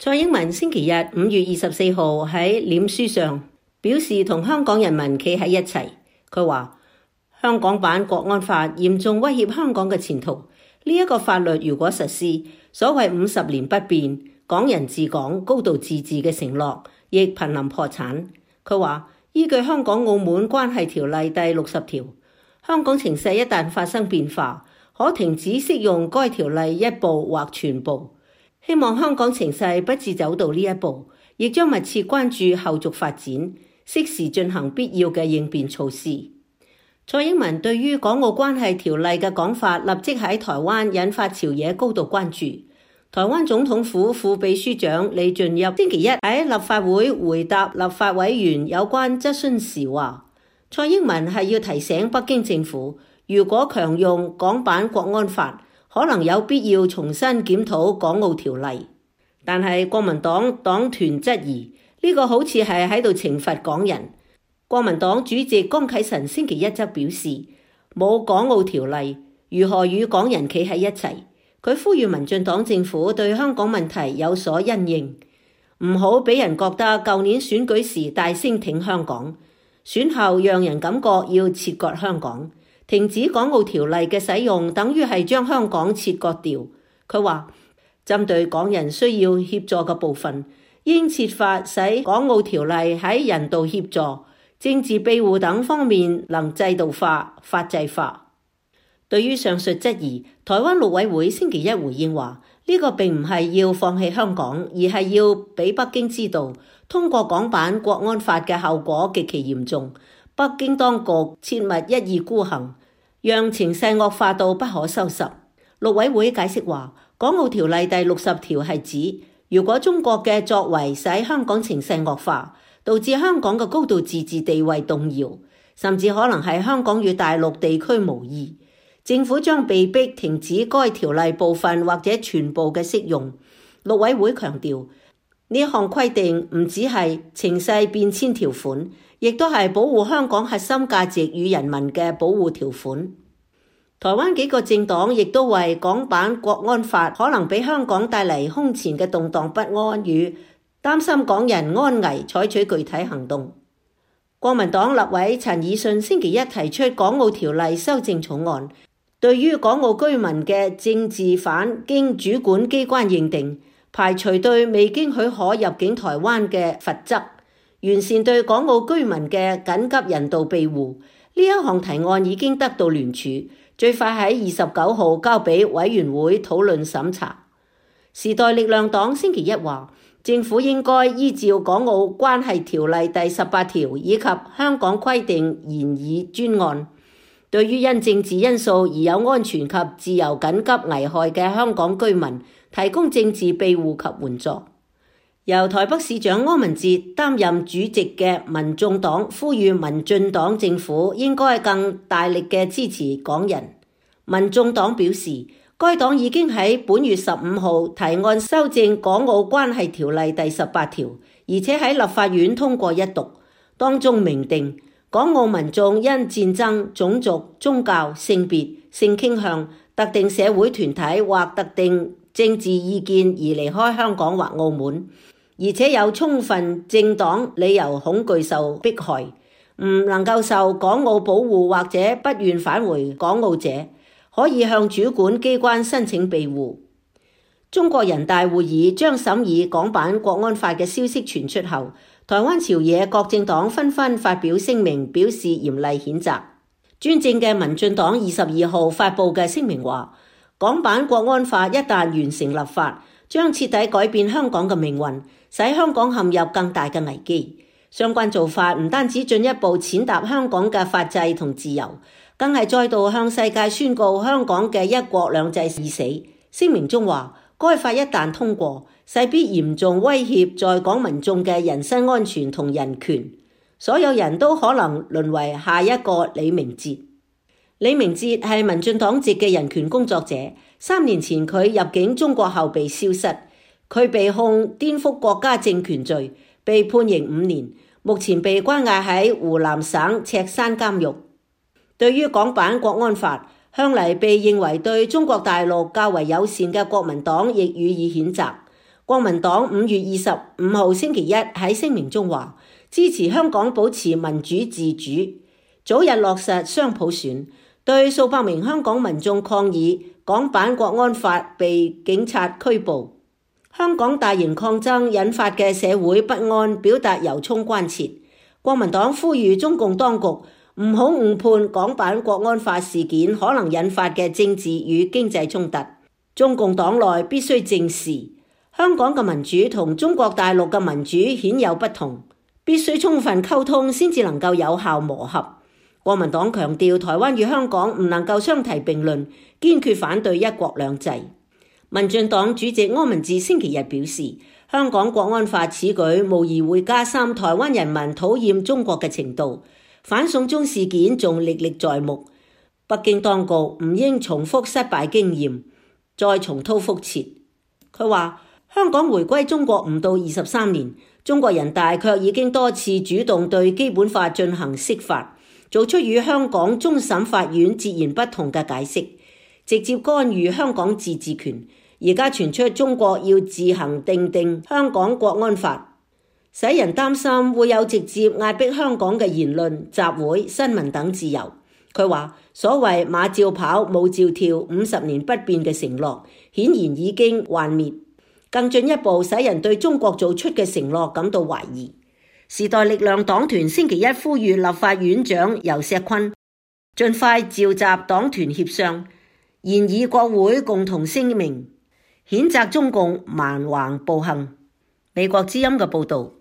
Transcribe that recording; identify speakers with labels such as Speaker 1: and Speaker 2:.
Speaker 1: 蔡英文星期日5月24號喺臉書上表示同香港人民企喺一齊。佢話香港版國安法嚴重威脅香港嘅前途，呢個法律如果實施，所謂50年不變、港人治港、高度自治嘅承諾，亦瀕臨破產。佢話依據香港澳門關係條例第60條，香港情勢一旦發生變化，可停止適用該條例一部或全部。希望香港情勢不致走到呢一步，亦將密切關注後續發展，適時進行必要嘅應變措施。蔡英文對於港澳關係條例嘅講法，立即喺台灣引發朝野高度關注。台灣總統府副秘書長李俊逸星期一喺立法會回答立法委員有關質詢時話，蔡英文係要提醒北京政府，如果強用港版國安法，可能有必要重新檢討港澳條例。但係國民黨黨團質疑呢個好似係喺度懲罰港人。國民黨主席江啟臣星期一則表示，冇港澳條例，如何與港人企喺一齊？佢呼籲民進黨政府對香港問題有所因應，唔好俾人覺得舊年選舉時大聲挺香港，選後讓人感覺要切割香港。停止港澳條例嘅使用，等於係將香港切割掉。佢話，針對港人需要協助嘅部分，應設法使港澳條例喺人道協助、政治庇護等方面能制度化、法制化。對於上述質疑，台灣陸委會星期一回應話，呢個並唔係要放棄香港，而係要俾北京知道，通過港版國安法嘅後果極其嚴重，北京當局切勿一意孤行，讓情勢惡化到不可收拾。陸委會解釋話，港澳條例第60條係指，如果中國嘅作為使香港情勢惡化，導致香港嘅高度自治地位動搖，甚至可能係香港與大陸地區無異，政府將被迫停止該條例部分或者全部嘅適用。陸委會強調，呢項規定唔只係情勢變遷條款，亦都係保護香港核心價值與人民嘅保護條款。台灣幾個政黨亦都為港版國安法可能俾香港帶嚟空前嘅動盪不安與擔心港人安危採取具體行動。國民黨立委陳以信星期一提出港澳條例修正草案，對於港澳居民嘅政治犯經主管機關認定，排除對未經許可入境台灣嘅罰則，完善對港澳居民嘅緊急人道庇護。呢一項提案已經得到聯署，最快喺29號交俾委員會討論審查。時代力量黨星期一話，政府應該依照港澳關係條例第18條以及香港規定研議專案，對於因政治因素而有安全及自由緊急危害嘅香港居民，提供政治庇護及援助。由台北市長柯文哲擔任主席嘅民眾黨呼籲民進黨政府應該更大力嘅支持港人。民眾黨表示，該黨已經喺本月15號提案修正港澳關係條例第18條，而且喺立法院通過一讀，當中明定港澳民眾因戰爭、種族、宗教、性別、性傾向、特定社會團體或特定政治意見而離開香港或澳門，而且有充分正當理由恐懼受迫害，唔能夠受港澳保護或者不願返回港澳者，可以向主管機關申請庇護。中國人大會議將審議港版國安法嘅消息傳出後，台灣朝野各政黨紛紛發表聲明，表示嚴厲譴責。專政嘅民進黨22號發布嘅聲明話，港版國安法一旦完成立法，將徹底改變香港嘅命運，使香港陷入更大嘅危機。相關做法唔單止進一步踐踏香港嘅法制同自由，更係再度向世界宣告香港嘅一國兩制已死。聲明中話，該法一旦通過，勢必嚴重威脅在港民眾嘅人身安全同人權，所有人都可能淪為下一個李明哲。李明哲係民進黨籍嘅人權工作者，3年前佢入境中國後被消失，佢被控顛覆國家政權罪，被判刑5年，目前被關押喺湖南省赤山監獄。對於港版國安法，向嚟被認為對中國大陸較為友善嘅國民黨亦予以譴責。國民黨5月25號星期一喺聲明中話，支持香港保持民主自主，早日落實雙普選，對數百名香港民眾抗議港版國安法被警察拘捕，香港大型抗爭引發嘅社會不安表達由衷關切。國民黨呼籲中共當局唔好誤判港版國安法事件可能引發嘅政治與經濟衝突，中共黨內必須正視香港嘅民主同中國大陸嘅民主顯有不同，必須充分溝通先至能夠有效磨合。國民黨強調台灣與香港唔能夠相提並論，堅決反對一國兩制。民進黨主席柯文哲星期日表示，香港國安法此舉無疑會加深台灣人民討厭中國嘅程度，反送中事件仲歷歷在目，北京當局唔應重複失敗經驗，再重蹈覆轍。佢話，香港回歸中國唔到23年，中國人大卻已經多次主動對基本法進行釋法，做出與香港終審法院截然不同嘅解釋，直接干預香港自治權。而家傳出中國要自行訂定香港國安法，使人擔心會有直接壓迫香港嘅言論、集會、新聞等自由。佢話，所謂馬照跑，舞照跳，50年不變嘅承諾，顯然已經幻滅。更進一步使人對中國做出嘅承諾感到懷疑。時代力量黨團星期一呼籲立法院長游錫堃盡快召集黨團協商，研議國會共同聲明，譴責中共蠻橫暴行。美國之音嘅報導。